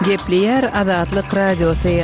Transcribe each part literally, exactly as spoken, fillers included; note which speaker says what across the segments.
Speaker 1: Gepleýär Azatlyk Radiosy.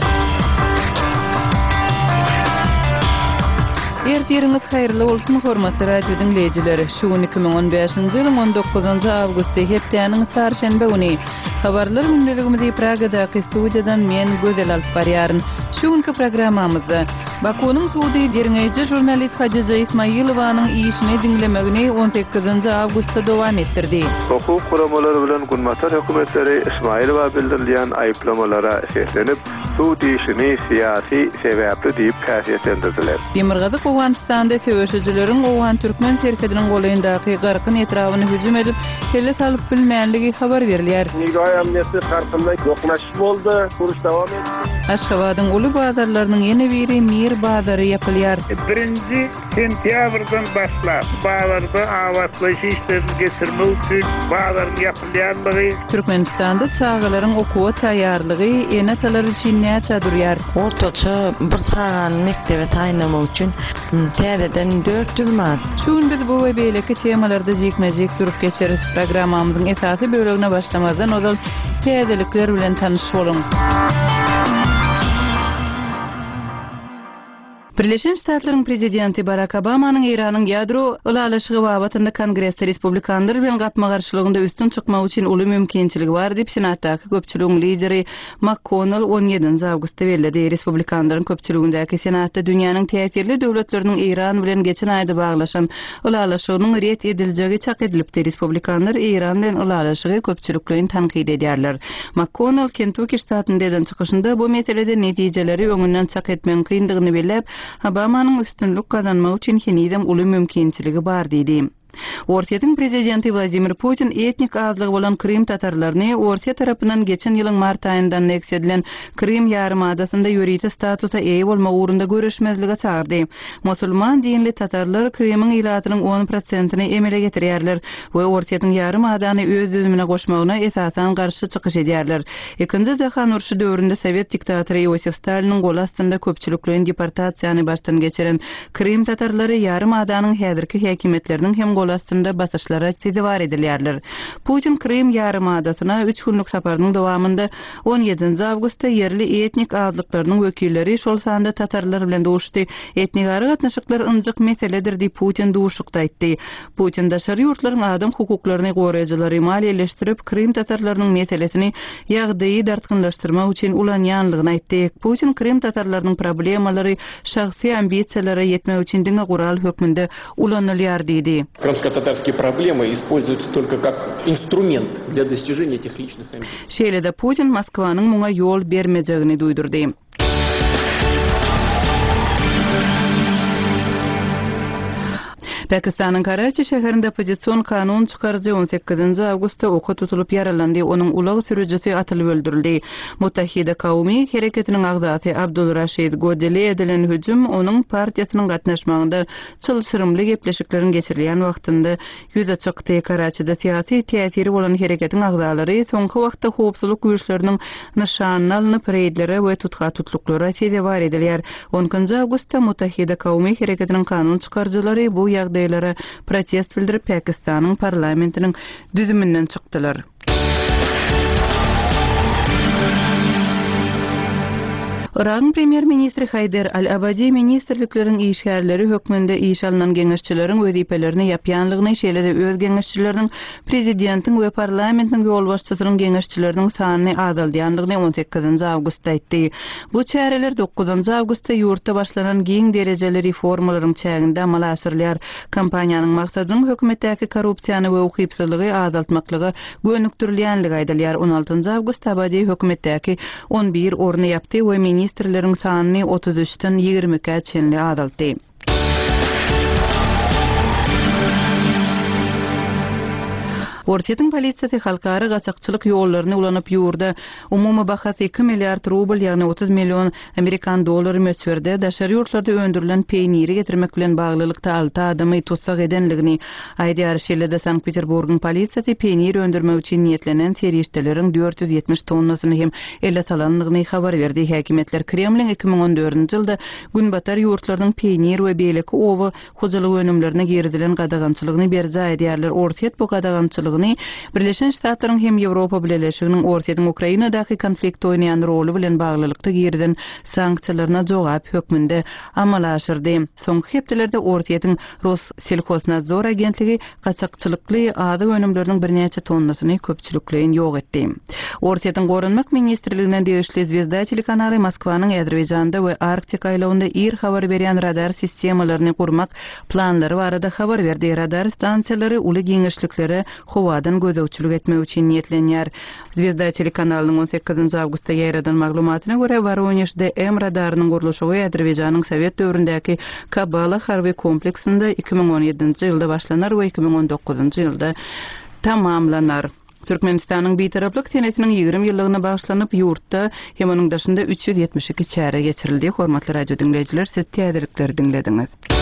Speaker 1: Ertiriňiz haýyrly bolsun, hormatly radio diňleýjiler! Şu gün iki müň on bäşinji ýylyň on dokuzynjy awgusty, hepdäniň çarşenbe güni. Habarlar gündeligimizi Pragadaky studiýadan men, Gözel alyp barýaryn. Şu günki programmamyzda, Bakunyň sudy derňeýji žurnalist Hadija Ismailowanyň işini diňlemegini on sekizinji awgustda dowam etdirdi.
Speaker 2: Hukuk guramalary bilen Günbatar hökümetleri Ismailowa bildirilýän aýyplamalara seslenip, sud işini syýasy sebäpli diýip häsiýetlendirdiler.
Speaker 1: Demirgazyk Owganystanda söweşijileriň owgan-türkmen serhediniň golaýyndaky Garkyn etrabyna hüjüm edip, kelle salyp bilmänligi habar berilýär.
Speaker 3: Nigay emniyeti Garkynda ýoknaş boldy, uruş dowam etdi.
Speaker 1: Aşgabadyň uly bazarlarynyň ýene biri Mir bazary ýapylýar.
Speaker 4: Birinji sentýabrdan başlap bazarda abatlaýyş işlerini geçirmek üçin bazaryň ýapylýanlygy.
Speaker 1: Türkmenistanda çagalaryň okuwa taýýarlygy ene-atalar üçin näçe durýar?
Speaker 5: Ortaça bir çagany mekdebe taýynlamak üçin täzeden dört ýüz manat.
Speaker 1: Şu gün biz bu we beýleki temalarda jikme-jik durup geçeris. Programmamyzyň esasy bölegine başlamazdan ozal täzelikler bilen tanyş boluň. Birleşen Ştatlaryň prezidenti Barak Obamanyň Eýranyň ýadro ylalaşygy babatynda Kongresde respublikanlar bilen gapma-garşylygynda üstün çykmak üçin uly mümkinçiligi bar diýip, Senatdaky köpçüligiň lideri MakKonnell on ýedinji awgustda belledi. Respublikanlaryň köpçüligindäki Senatda dünýäniň täsirli döwletleriniň Eýran bilen geçen aýda baglaşan ylalaşygynyň ret ediljegi çak edilipdi. Respublikanlar Eýran bilen ylalaşygy köpçülikleýin tankyt edýärler. MakKonnell Kentuki ştatynda eden çykyşynda bu meselede netijeleri öňünden çak etmegiň kyndygyny belläp, Obamanyň üstünlik gazanmak üçin henizem uly mümkinçiligi bar diýdi. Orsýetiň prezidenti Wladimir Putin etnik azlygy bolan Krym tatarlaryny Orsýet tarapyndan geçen ýylyň mart aýynda anneksiýa edilen Krym ýarymadasynda ýörite statusa eýe bolmak ugrunda göreşmezlige çagyrdy. Musulman dinli tatarlar Krymyň ilatynyň on prosentini emele getirýärler we Orsýetiň ýarymadany öz düzümine goşmagyna esasan garşy çykyş edýärler. Ikinji jahan urşy döwründe sowet diktatory Iosif Staliniň goly astynda köpçülikleýin deportasiýany başdan geçiren Krym tatarlary ýarymadanyň häzirki häkimiýetleriniň hem goly astynda basyşlara sezewar edilýärler. Putin Krym ýarymadasyna üç günlük saparynyň dowamynda on ýedinji awgustda ýerli etnik azlyklarynyň wekilleri, şol sanda tatarlar bilen duşdy. Etnigara gatnaşyklar ynjyk meseledir diýip Putin duşukda aýtdy. Putin daşary ýurtlaryň adam hukuklaryny goraýjylary maliýeleşdirip, Krym tatarlarynyň meselesini ýagdaýy dartgynlaşdyrmak üçin ulanýanlygyny aýtdy. Putin Krym tatarlarynyň problemalary şahsy ambisiýalara ýetmek üçin diňe gural hökmünde ulanylýar diýdi.
Speaker 6: Крымско-татарские проблемы используются только как инструмент для достижения этих личных амбиций.
Speaker 1: Şeýle-de Putin Moskwanyň muňa ýol bermejegini duýdurdy. Pakistanyň Karaçi şäherinde oppozision kanun çykaryjy on sekizinji awgustda oka tutulyp ýaralandy, onuň ulag sürüjisi atylyp öldürildi. Muttahida Kaumi hereketiniň agzasy Abdul Raşid Godeli edilen hüjüm onuň partiýasynyň gatnaşmagynda çylşyrymly gepleşikleriň geçirilýän wagtynda ýüze çykdy. Karaçide syýasy täsiri bolan hereketiň agzalary soňky wagtda howpsuzlyk güýçleriniň nyşanyna alnyp reýdlere we tutga tutluklara sezewar edilýär. On ikinji awgustda Muttahida Kaumi hereketiniň kanun çykaryjylary bu ýagdaýlara protest bildirip Pakistanyň parlamentiniň düzüminden çykdylar. Yragyň premýer-ministri Haýder Al-Abadi ministrlikleriň işgärleri hökmünde iş alynan geňeşçileriň wezipelerini ýapýanlygyny, şeýle-de öz geňeşçileriniň prezidentiň we parlamentiň ýolbaşçysynyň geňeşçileriniň sanyny azaldýanlygyny on sekizinji awgustda aýtdy. Bu çäreler dokuzynjy awgustda ýurtda başlanan giň derejeli reformalaryň çäginde amala aşyrylýar. Kompaniýanyň maksadynyň hökümetdäki korrupsiýany we ukypsyzlygy azaltmaklyga gönükdirilýänligi aýdylýar. On altynjy awgustda Abadi hökümetdäki on bir orny ýapdy we ministrleriň sanyny otuz üçden ýigrimi ikä çenli azaltdy. Orsýetiň polisiýasy halkara gaçakçylyk ýollaryny ulanyp ýurda umumy bahasy iki milliard rubl, ýagny otuz million amerikan dollary möçberde daşary ýurtlarda öndürilen peýniri getirmek bilen baglylykda alty adamy tussag edenligini aýdýar. Şeýle-de Sankt-Peterburgyň polisiýasy peýnir öndürmek üçin niýetlenen serişdeleriň dört ýüz ýetmiş tonnasyny hem ele salanlygyny habar berdi. Häkimiýetler Kremliň iki müň on dördünji ýylda Günbatar ýurtlarynyň peýnir we beýleki oba hojalyk önümlerine girizilen gadagançylygyny berjaý edýärler. Orsýet bu gadagançylygyny çakylygyny Birleşen Ştatlaryň hem Ýewropa Bileleşiginiň Orsýetiň Ukrainadaky konfliktde oýnaýan roly bilen baglylykda girizen sanksiýalaryna jogap hökmünde amala aşyrdy. Soňky hepdelerde Orsýetiň Rosselhoznadzor agentligi gaçakçylykly azyk önümleriniň birnäçe tonnasyny köpçülikleýin ýok etdi. Orsýetiň Goranmak ministrligine degişli Zvezda telekanaly Moskwanyň Azerbaýjanda we Arktika aýlagynda ir habar berýän radar sistemalaryny gurmak planlary barada habar berdi. Radar stansiýalary uly giňişliklere howadan gözegçilik etmek üçin niýetlenýär. Zvezda telekanalynyň on sekizinji awgustda ýaýradan maglumatyna görä, Woronež D M radarynyň gurluşygy Azerbaýjanyň Sowet döwründäki Kabala harby kompleksinde iki müň on ýedinji ýylda başlanar we iki müň on dokuzynjy ýylda tamamlanar. Türkmenistanyň Bitaraplyk senesiniň ýigrimi ýyllygyna bagyşlanyp, ýurtda hem onuň daşynda üç ýüz ýetmiş iki çäre geçirildi. Hormatly radio diňleýjiler, siz täzelikleri diňlediňiz.